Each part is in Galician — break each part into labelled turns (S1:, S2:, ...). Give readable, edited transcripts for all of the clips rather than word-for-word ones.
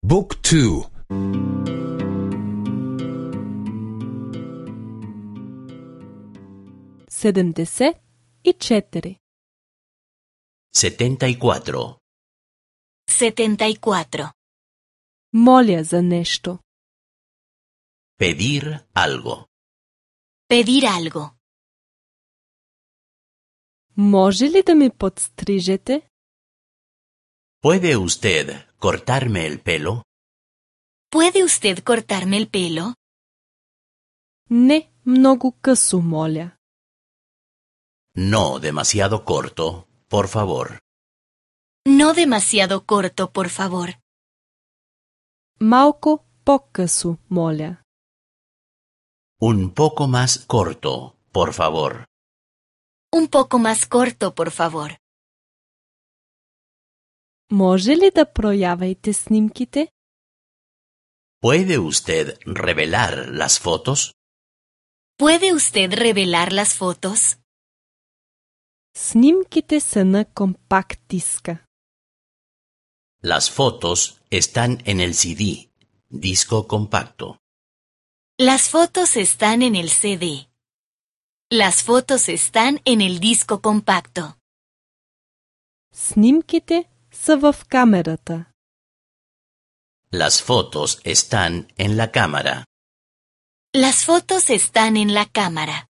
S1: บุ๊กทู
S2: 74
S3: 74.
S4: 74.
S2: Моля за нещо.
S3: Pedir algo.
S4: Pedir algo.
S2: Може ли да ми подстрижете?
S3: ¿Puede usted cortarme el pelo?
S4: ¿Puede usted cortarme el pelo?
S2: Не, много късо, моля.
S3: No demasiado corto, por favor.
S4: No demasiado corto, por favor.
S2: Малко по-късо, моля.
S3: Un poco más corto, por favor.
S4: Un poco más corto, por favor.
S2: Може ли да проявите снимките?
S3: ¿Puede usted revelar las fotos?
S4: ¿Puede usted revelar las fotos?
S2: Снимките са на компакт диска.
S3: Las fotos están en el CD, disco compacto.
S4: Las fotos están en el CD. Las fotos están en el disco compacto.
S2: Снимките са в камерата.
S3: Las fotos están en la cámara.
S4: Las fotos están en la cámara.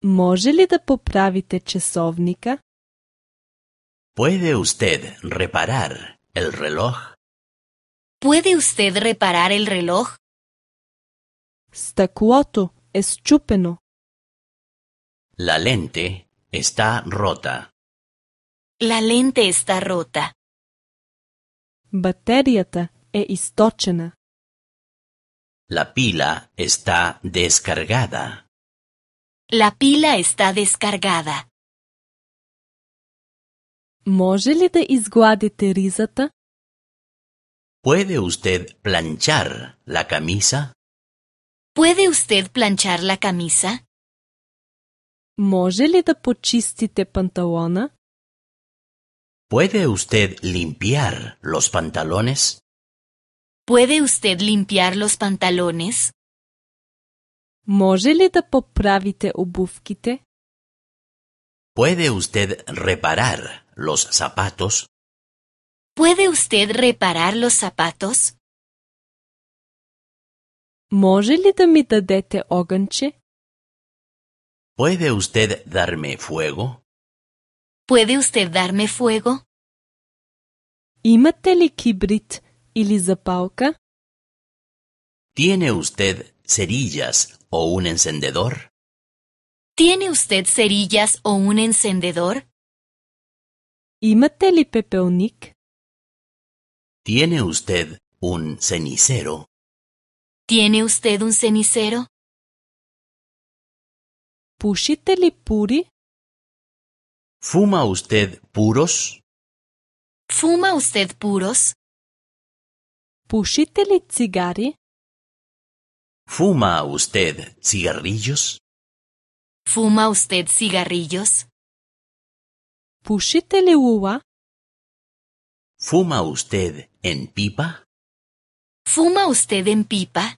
S2: Може ли да поправите часовника?
S3: ¿Puede usted reparar el reloj?
S4: ¿Puede usted reparar el reloj?
S2: Стъклото е счупено.
S3: La lente está rota.
S4: La lente está rota.
S2: Батерията е източена.
S3: La pila está descargada.
S4: La pila está descargada.
S2: Може ли да изгладите ризата?
S3: ¿Puede usted planchar la camisa?
S4: ¿Puede usted planchar la camisa?
S2: Може ли да почистите панталона?
S3: ¿Puede usted limpiar los pantalones?
S4: ¿Puede usted limpiar los pantalones?
S2: Може ли да поправите обувките?
S3: ¿Puede usted reparar los zapatos?
S4: ¿Puede usted reparar los zapatos?
S2: Може ли да ми дадете огънче?
S3: ¿Puede usted darme fuego?
S4: ¿Puede usted darme fuego?
S2: Имате ли кибрит или запалка?
S3: ¿Tiene usted cerillas o un encendedor?
S4: ¿Tiene usted cerillas o un encendedor?
S2: Имате ли пепелник?
S3: ¿Tiene usted un cenicero?
S4: ¿Tiene usted un cenicero?
S2: Пушите ли пури?
S3: ¿Fuma usted puros?
S4: ¿Fuma usted puros?
S2: Пушите ли цигари?
S3: ¿Fuma usted cigarrillos?
S4: ¿Fuma usted cigarrillos?
S2: Пушите ли лула?
S3: ¿Fuma usted en pipa?
S4: ¿Fuma usted en pipa?